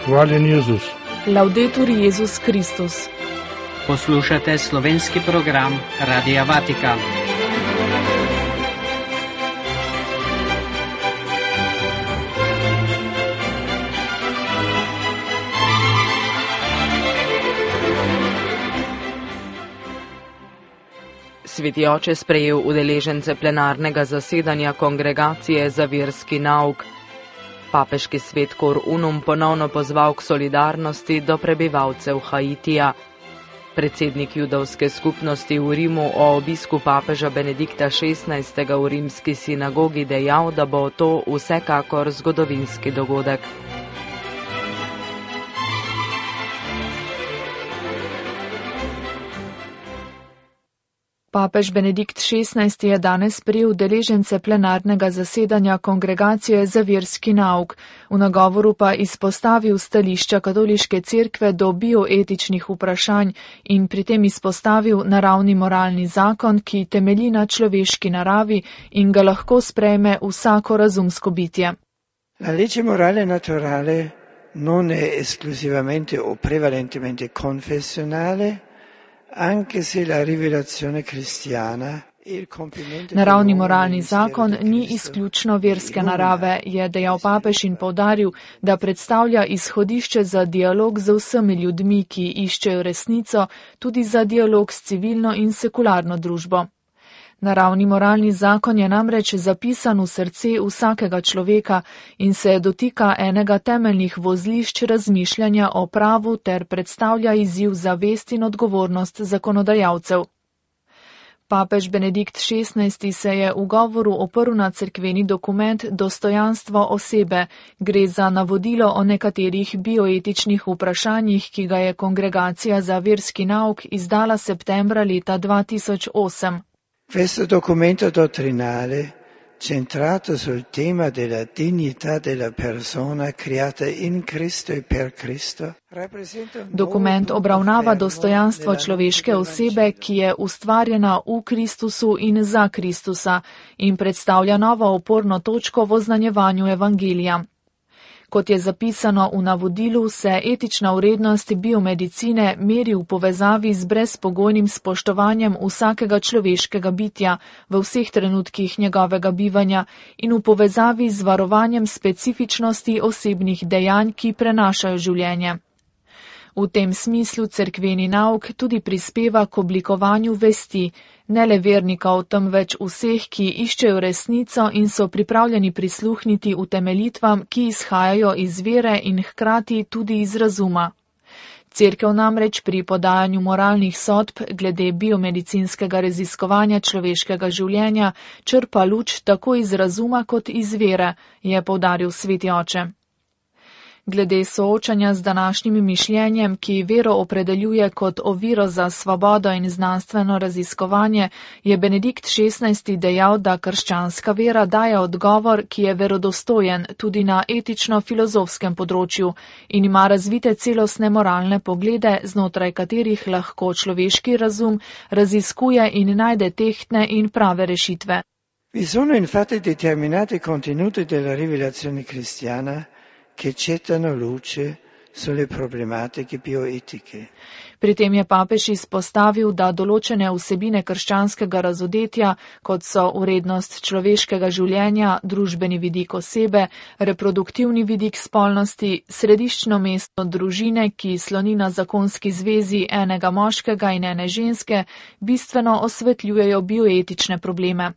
Hvaljen Jezus. Laudetur Jezus Kristus. Poslušate slovenski program Radia Vatikan. Sveti oče sprejel udeležence plenarnega zasedanja Kongregacije za verski nauk. Papeški svet Cor Unum ponovno pozval k solidarnosti do prebivalcev Haitija. Predsednik judovske skupnosti v Rimu o obisku papeža Benedikta XVI. V rimski sinagogi dejal, da bo to vsekakor zgodovinski dogodek. Papež Benedikt XVI. Je danes sprejel udeležence plenarnega zasedanja Kongregacije za verski nauk, v nagovoru pa izpostavil stališča katoliške cerkve do bioetičnih vprašanj in pri tem izpostavil naravni moralni zakon, ki temelji na človeški naravi in ga lahko sprejme vsako razumsko bitje. La legge morale naturale non è esclusivamente o prevalentemente confessionale, anche se la rivelazione cristiana. Naravni moralni zakon ni izključno verske narave, je dejal papež in poudaril, da predstavlja izhodišče za dialog z vsemi ljudmi, ki iščejo resnico, tudi za dialog s civilno in sekularno družbo. Naravni moralni zakon je namreč zapisan v srce vsakega človeka in se dotika enega temeljnih vozlišč razmišljanja o pravu ter predstavlja izziv za vest in odgovornost zakonodajalcev. Papež Benedikt XVI. Se je v govoru oprl na cerkveni dokument Dostojanstvo osebe. Gre za navodilo o nekaterih bioetičnih vprašanjih, ki ga je Kongregacija za verski nauk izdala septembra leta 2008. Questo documento dottrinale, centrato sul tema della dignità della persona creata in Cristo e per Cristo, Dokument obravnava dostojanstvo človeške osebe, ki je ustvarjena v Kristusu in za Kristusa in predstavlja novo oporno točko v oznanjevanju evangelija. Kot je zapisano v navodilu, se etična vrednost biomedicine meri v povezavi z brezpogojnim spoštovanjem vsakega človeškega bitja v vseh trenutkih njegovega bivanja in v povezavi z varovanjem specifičnosti osebnih dejanj, ki prenašajo življenje. V tem smislu cerkveni nauk tudi prispeva k oblikovanju vesti, ne le vernikov, temveč vseh, ki iščejo resnico in so pripravljeni prisluhniti utemeljitvam, ki izhajajo iz vere in hkrati tudi iz razuma. Cerkev namreč pri podajanju moralnih sodb glede biomedicinskega raziskovanja človeškega življenja črpa luč tako iz razuma kot iz vere, je poudaril sveti oče. Glede soočanja z današnjim mišljenjem, ki vero opredeljuje kot oviro za svobodo in znanstveno raziskovanje, je Benedikt XVI. Dejal, da krščanska vera daje odgovor, ki je verodostojen tudi na etično-filozofskem področju in ima razvite celostne moralne poglede, znotraj katerih lahko človeški razum raziskuje in najde tehtne in prave rešitve. Vi sono infatti determinati contenuti della rivelazione cristiana che gettano luce sulle problematiche bioetiche. Pri tem je papež izpostavil, da določene vsebine krščanskega razodetja, kot so vrednost človeškega življenja, družbeni vidik osebe, reproduktivni vidik spolnosti, središčno mesto družine, ki sloni na zakonski zvezi enega moškega in ene ženske, bistveno osvetljujejo bioetične probleme.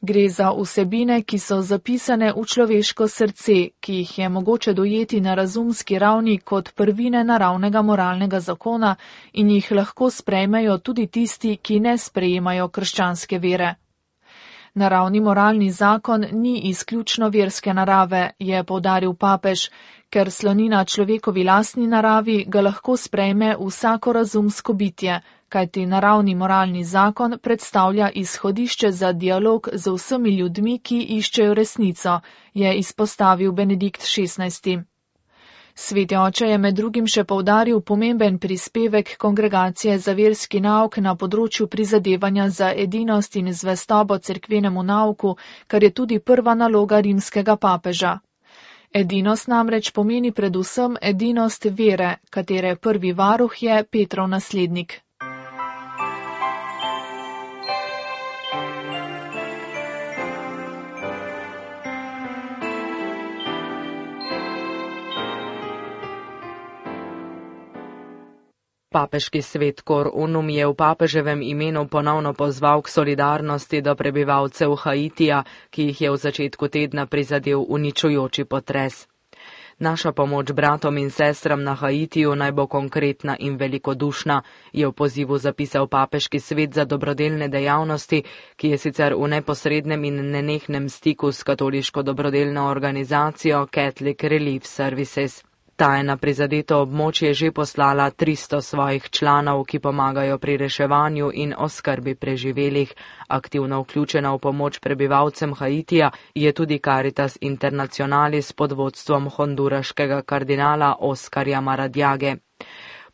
Gre za vsebine, ki so zapisane v človeško srce, ki jih je mogoče dojeti na razumski ravni kot prvine naravnega moralnega zakona in jih lahko sprejmejo tudi tisti, ki ne sprejemajo krščanske vere. Naravni moralni zakon ni izključno verske narave, je poudaril papež, ker sloni na človekovi lastni naravi, ga lahko sprejme vsako razumsko bitje, kajti naravni moralni zakon predstavlja izhodišče za dialog z vsemi ljudmi, ki iščejo resnico, je izpostavil Benedikt XVI. Sveti oče je med drugim še poudaril pomemben prispevek Kongregacije za verski nauk na področju prizadevanja za edinost in zvestobo cerkvenemu nauku, kar je tudi prva naloga rimskega papeža. Edinost namreč pomeni predvsem edinost vere, katere prvi varuh je Petrov naslednik. Papeški svet Cor Unum je v papeževem imenu ponovno pozval k solidarnosti do prebivalcev Haitija, ki jih je v začetku tedna prizadel uničujoči potres. Naša pomoč bratom in sestram na Haitiju naj bo konkretna in velikodušna, je v pozivu zapisal papeški svet za dobrodelne dejavnosti, ki je sicer v neposrednem in nenehnem stiku s katoliško dobrodelno organizacijo Catholic Relief Services. Ta je na prizadeto območje že poslala 300 svojih članov, ki pomagajo pri reševanju in oskrbi preživelih. Aktivno vključena v pomoč prebivalcem Haitija je tudi Caritas Internationalis pod vodstvom honduraškega kardinala Oskarja Maradiage.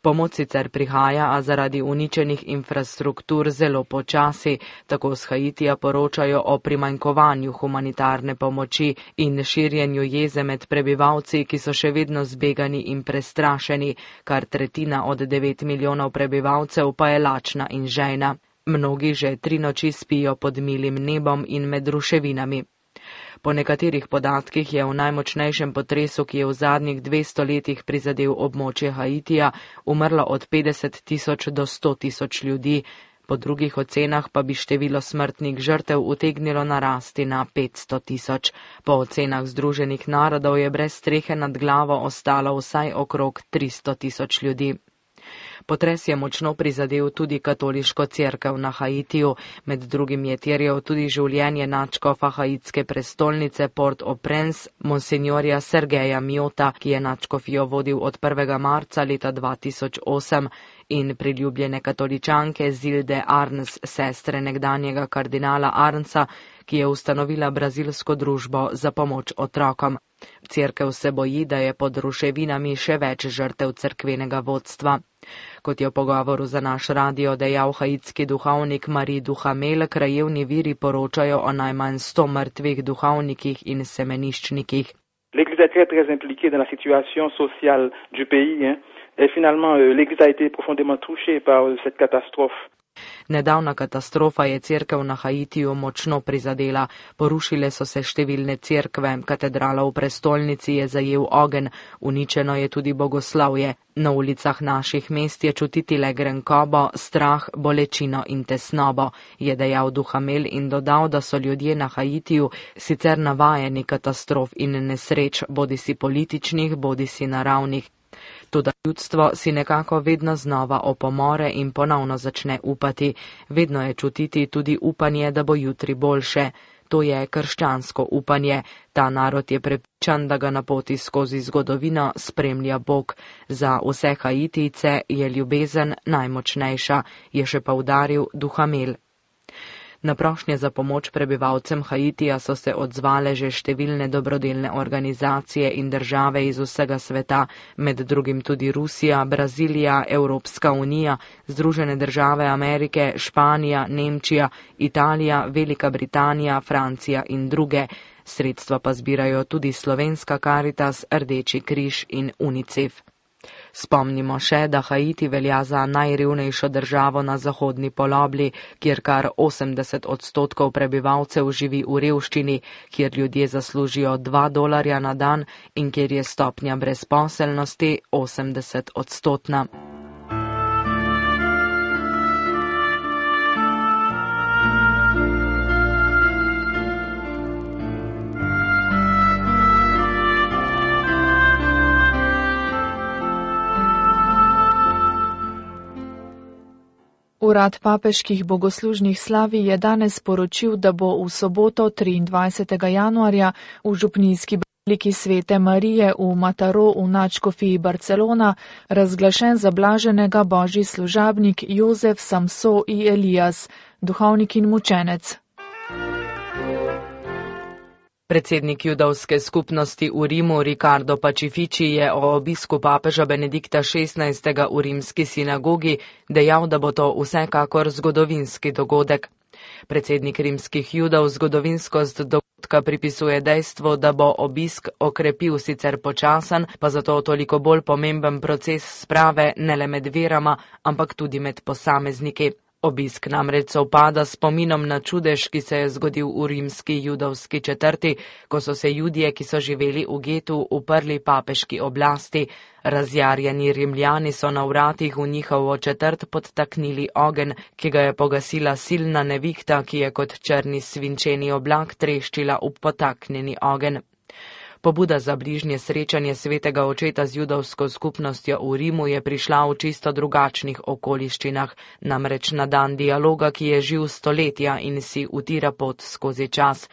Pomoč sicer prihaja, a zaradi uničenih infrastruktur zelo počasi, tako z Haitija poročajo o primanjkovanju humanitarne pomoči in širjenju jeze med prebivalci, ki so še vedno zbegani in prestrašeni, kar tretjina od 9 milijonov prebivalcev pa je lačna in žejna. Mnogi že 3 noči spijo pod milim nebom in med ruševinami. Po nekaterih podatkih je v najmočnejšem potresu, ki je v zadnjih 200 letih prizadel območje Haitija, umrlo od 50 tisoč do 100 tisoč ljudi, po drugih ocenah pa bi število smrtnih žrtev utegnilo narasti na 500 tisoč. Po ocenah Združenih narodov je brez strehe nad glavo ostalo vsaj okrog 300 tisoč ljudi. Potres je močno prizadel tudi katoliško cerkev na Haitiju, med drugim je terjal tudi življenje nadškofa haitske prestolnice Port-au-Prince, monsignorja Sergeja Miota, ki je nadškofijo vodil od 1. marca leta 2008, in priljubljene katoličanke Zilde Arns, sestre nekdanjega kardinala Arnsa, ki je ustanovila brazilsko družbo za pomoč otrokom. Cerkev se boji, da je pod ruševinami še več žrtev cerkvenega vodstva. Kot je v pogovoru za naš radio dejal haitski duhovnik Marie Duhamel, krajevni viri poročajo o najmanj 100 mrtvih duhovnikih in semeniščnikih. L'Église est très très impliquée dans la situation sociale du pays, et finalement l'Église a été profondément touchée par cette catastrophe. Nedavna katastrofa je cerkev na Haitiju močno prizadela. Porušile so se številne cerkve, katedrala v prestolnici je zajel ogenj, uničeno je tudi bogoslavje. Na ulicah naših mest je čutiti le grenkobo, strah, bolečino in tesnobo, je dejal Duhamel in dodal, da so ljudje na Haitiju sicer navajeni katastrof in nesreč, bodisi političnih, bodisi naravnih. Toda ljudstvo si nekako vedno znova opomore in ponovno začne upati. Vedno je čutiti tudi upanje, da bo jutri boljše. To je krščansko upanje. Ta narod je prepričan, da ga na poti skozi zgodovino spremlja Bog. Za vse Haitijce je ljubezen najmočnejša, je še poudaril Duhamel. Na prošnje za pomoč prebivalcem Haitija so se odzvale že številne dobrodelne organizacije in države iz vsega sveta, med drugim tudi Rusija, Brazilija, Evropska unija, Združene države Amerike, Španija, Nemčija, Italija, Velika Britanija, Francija in druge. Sredstva pa zbirajo tudi slovenska Caritas, Rdeči križ in UNICEF. Spomnimo še, da Haiti velja za najrevnejšo državo na zahodni polobli, kjer kar 80% prebivalcev živi v revščini, kjer ljudje zaslužijo $2 na dan in kjer je stopnja brezposelnosti 80%. Urad papeških bogoslužnih slavij je danes sporočil, da bo v soboto 23. januarja v župnijski baziliki Svete Marije v Mataró v nadškofiji Barcelona razglašen za blaženega božji služabnik Jozef Samso i Elias, duhovnik in mučenec. Predsednik judovske skupnosti v Rimu Riccardo Pacifici je o obisku papeža Benedikta XVI. V rimski sinagogi dejal, da bo to vsekakor zgodovinski dogodek. Predsednik rimskih judov zgodovinskost dogodka dogodka pripisuje dejstvu, da bo obisk okrepil sicer počasen, pa zato toliko bolj pomemben proces sprave ne le med verama, ampak tudi med posamezniki. Obisk namreč sovpada s spominom na čudež, ki se je zgodil v rimski judovski četrti, ko so se Judje, ki so živeli v getu, uprli papeški oblasti. Razjarjeni Rimljani so na vratih v njihovo četrt podtaknili ogenj, ki ga je pogasila silna nevihta, ki je kot črni svinčeni oblak treščila v potaknjeni ogenj. Pobuda za bližnje srečanje svetega očeta z judovsko skupnostjo v Rimu je prišla v čisto drugačnih okoliščinah, namreč na dan dialoga, ki je živ stoletja in si utira pot skozi čas.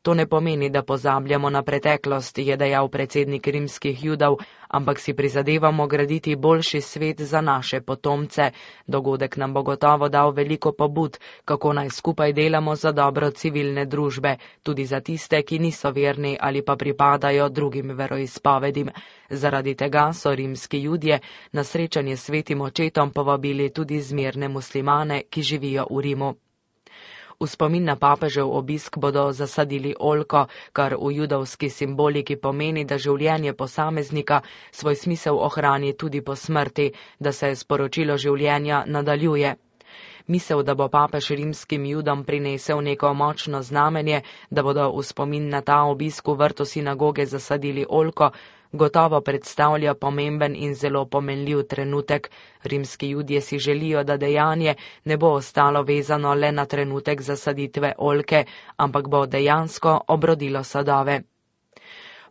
To ne pomeni, da pozabljamo na preteklost, je dejal predsednik rimskih Judov, ampak si prizadevamo graditi boljši svet za naše potomce. Dogodek nam bo gotovo dal veliko pobud, kako naj skupaj delamo za dobro civilne družbe, tudi za tiste, ki niso verni ali pa pripadajo drugim veroizpovedim. Zaradi tega so rimski Judje na srečanje s svetim očetom povabili tudi zmerne muslimane, ki živijo v Rimu. V spomin na papežev obisk bodo zasadili oljko, kar v judovski simboliki pomeni, da življenje posameznika svoj smisel ohrani tudi po smrti, da se sporočilo življenja nadaljuje. Misel, da bo papež rimskim Judom prinesel neko močno znamenje, da bodo v spomin na ta obisk v vrtu sinagoge zasadili oljko, gotovo predstavlja pomemben in zelo pomenljiv trenutek. Rimski Judje si želijo, da dejanje ne bo ostalo vezano le na trenutek zasaditve oljke, ampak bo dejansko obrodilo sadove.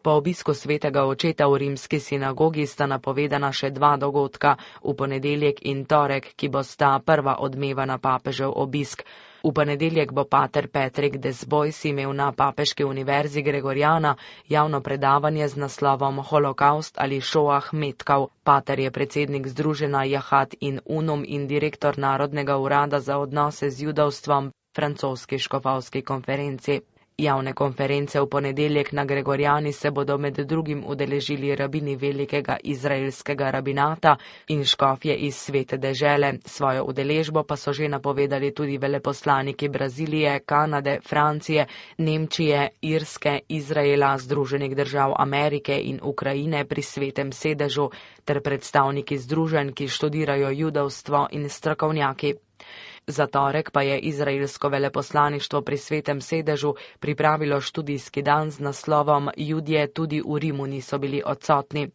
Po obisku svetega očeta v rimski sinagogi sta napovedana še dva dogodka, v ponedeljek in torek, ki bosta prva odmeva na papežev obisk. V ponedeljek bo pater Patrick Desbois imel na Papeški univerzi Gregoriana javno predavanje z naslovom Holokaust ali Šoah metkov. Pater je predsednik združenja Jahat in Unum in direktor Narodnega urada za odnose z judovstvom francoski škofovski konferenci. Javne konference v ponedeljek na Gregoriani se bodo med drugim udeležili rabini velikega izraelskega rabinata in škofje iz svete dežele. Svojo udeležbo pa so že napovedali tudi veleposlaniki Brazilije, Kanade, Francije, Nemčije, Irske, Izraela, Združenih držav Amerike in Ukrajine pri svetem sedežu ter predstavniki združenj, ki študirajo judovstvo in strokovnjaki. Za torek pa je izraelsko veleposlaništvo pri svetem sedežu pripravilo študijski dan z naslovom Judje tudi v Rimu niso bili odsotni.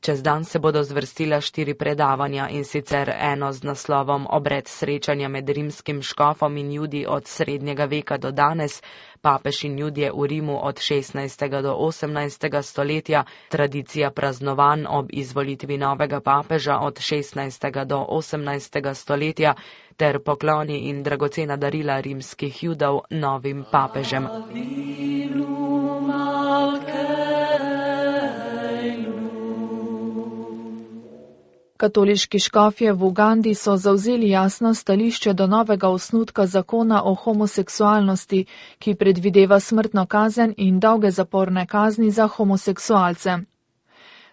Čez dan se bodo zvrstila 4 predavanja, in sicer eno z naslovom Obred srečanja med rimskim škofom in Judi od srednjega veka do danes, papež in Judje v Rimu od 16. do 18. stoletja, tradicija praznovanj ob izvolitvi novega papeža od 16. do 18. stoletja ter pokloni in dragocena darila rimskih Judov novim papežem. Katoliški škofje v Ugandi so zavzeli jasno stališče do novega osnutka zakona o homoseksualnosti, ki predvideva smrtno kazen in dolge zaporne kazni za homoseksualce.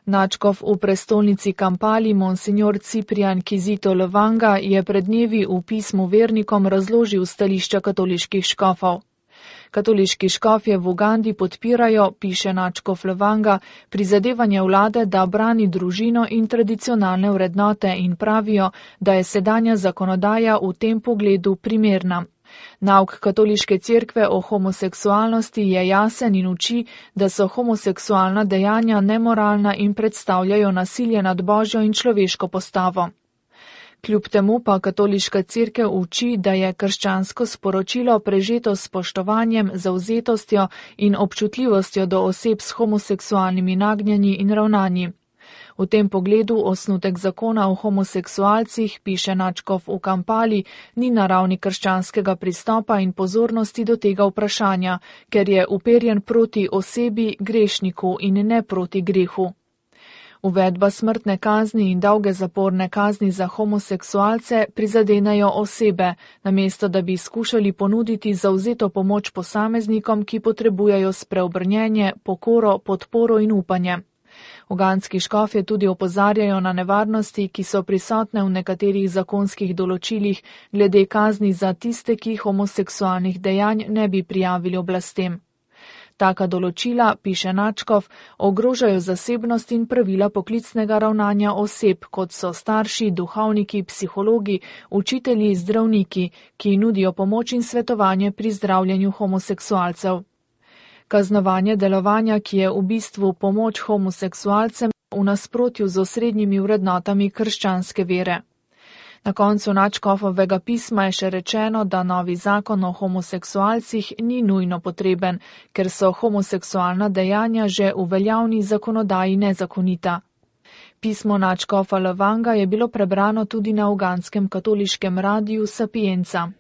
Nadškof v prestolnici Kampali, monsignor Ciprian Kizito Lwanga, je pred dnevi v pismu vernikom razložil stališča katoliških škofov. Katoliški škofje v Ugandi podpirajo, piše nadškof Lwanga, prizadevanje vlade, da brani družino in tradicionalne vrednote in pravijo, da je sedanja zakonodaja v tem pogledu primerna. Nauk katoliške cerkve o homoseksualnosti je jasen in uči, da so homoseksualna dejanja nemoralna in predstavljajo nasilje nad Božjo in človeško postavo. Kljub temu pa katoliška cerkev uči, da je krščansko sporočilo prežeto s spoštovanjem, zavzetostjo in občutljivostjo do oseb s homoseksualnimi nagnjanji in ravnanji. V tem pogledu osnutek zakona o homoseksualcih, piše nadškof v Kampali, ni na ravni krščanskega pristopa in pozornosti do tega vprašanja, ker je uperjen proti osebi, grešniku in ne proti grehu. Uvedba smrtne kazni in dolge zaporne kazni za homoseksualce prizadenejo osebe, namesto da bi skušali ponuditi zavzeto pomoč posameznikom, ki potrebujejo spreobrnjenje, pokoro, podporo in upanje. Ugandski škofje tudi opozarjajo na nevarnosti, ki so prisotne v nekaterih zakonskih določilih glede kazni za tiste, ki homoseksualnih dejanj ne bi prijavili oblastem. Taka določila, piše Načkov, ogrožajo zasebnost in pravila poklicnega ravnanja oseb, kot so starši, duhovniki, psihologi, učitelji, zdravniki, ki nudijo pomoč in svetovanje pri zdravljenju homoseksualcev. Kaznovanje delovanja, ki je v bistvu pomoč homoseksualcem, v nasprotju z osrednjimi vrednotami krščanske vere. Na koncu Načkovovega pisma je še rečeno, da novi zakon o homoseksualcih ni nujno potreben, ker so homoseksualna dejanja že v veljavni zakonodaji nezakonita. Pismo Načkova Levanga je bilo prebrano tudi na ugandskem katoliškem radiju Sapienza.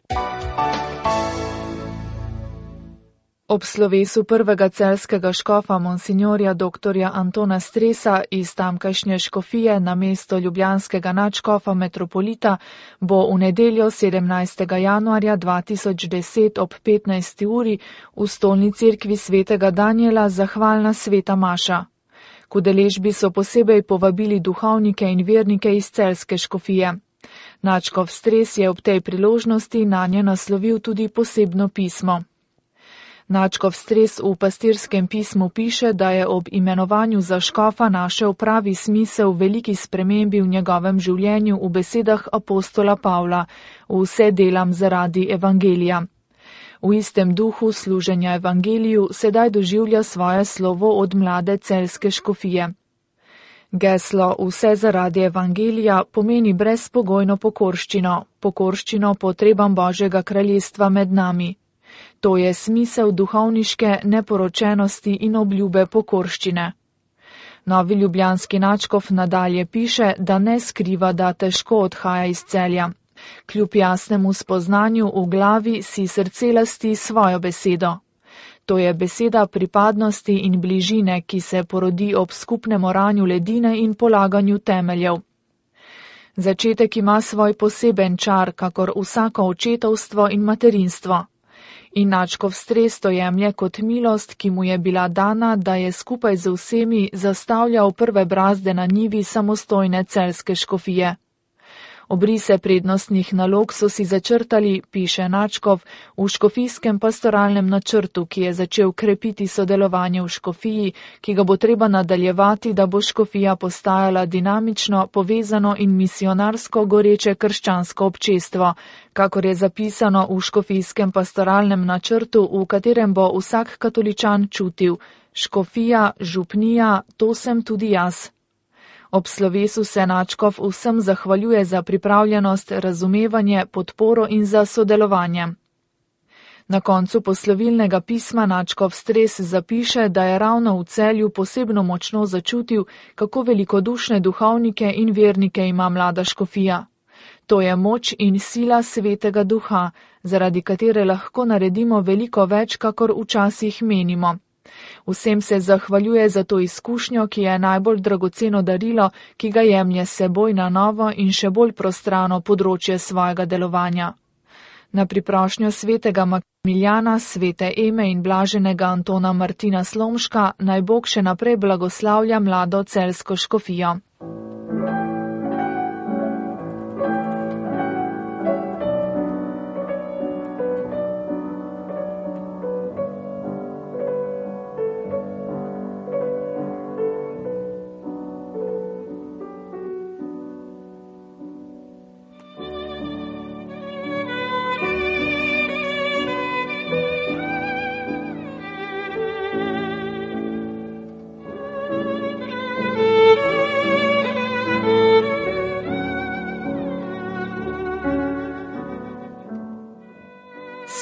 Ob slovesu prvega celjskega škofa monsignorja dr. Antona Stresa iz tamkajšnje škofije na mesto ljubljanskega nadškofa metropolita bo v nedeljo 17. januarja 2010 ob 15. uri v stolni cerkvi svetega Danijela zahvalna sveta maša. K udeležbi so posebej povabili duhovnike in vernike iz celjske škofije. Nadškof Stres je ob tej priložnosti nanje naslovil tudi posebno pismo. Načkov Stres v pastirskem pismu piše, da je ob imenovanju za škofa našel pravi smisel veliki spremembi v njegovem življenju v besedah apostola Pavla: vse delam zaradi evangelija. V istem duhu služenja evangeliju sedaj doživlja svoje slovo od mlade celjske škofije. Geslo vse zaradi evangelija pomeni brezpogojno pokorščino potrebam Božjega kraljestva med nami. To je smisel duhovniške neporočenosti in obljube pokorščine. Novi ljubljanski nadškof nadalje piše, da ne skriva, da težko odhaja iz Celja. Kljub jasnemu spoznanju v glavi si srce lasti svojo besedo. To je beseda pripadnosti in bližine, ki se porodi ob skupnem oranju ledine in polaganju temeljev. Začetek ima svoj poseben čar, kakor vsako očetovstvo in materinstvo. In Načkov Stres to jemlje kot milost, ki mu je bila dana, da je skupaj z vsemi zastavljal prve brazde na njivi samostojne celjske škofije. Obrise prednostnih nalog so si začrtali, piše Načkov, v škofijskem pastoralnem načrtu, ki je začel krepiti sodelovanje v škofiji, ki ga bo treba nadaljevati, da bo škofija postajala dinamično, povezano in misionarsko goreče krščansko občestvo, kakor je zapisano v škofijskem pastoralnem načrtu, v katerem bo vsak katoličan čutil: škofija, župnija, to sem tudi jaz. Ob slovesu se Načkov vsem zahvaljuje za pripravljenost, razumevanje, podporo in za sodelovanje. Na koncu poslovilnega pisma Načkov Stres zapiše, da je ravno v Celju posebno močno začutil, kako velikodušne duhovnike in vernike ima mlada škofija. To je moč in sila svetega duha, zaradi katere lahko naredimo veliko več, kakor včasih menimo. Vsem se zahvaljuje za to izkušnjo, ki je najbolj dragoceno darilo, ki ga jemlje s seboj na novo in še bolj prostrano področje svojega delovanja. Na priprošnjo svetega Maksimiljana, svete Eme in blaženega Antona Martina Slomška naj Bog še naprej blagoslavlja mlado celjsko škofijo.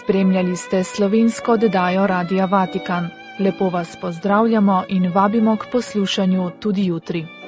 Spremljali ste slovensko oddajo Radia Vatikan. Lepo vas pozdravljamo in vabimo k poslušanju tudi jutri.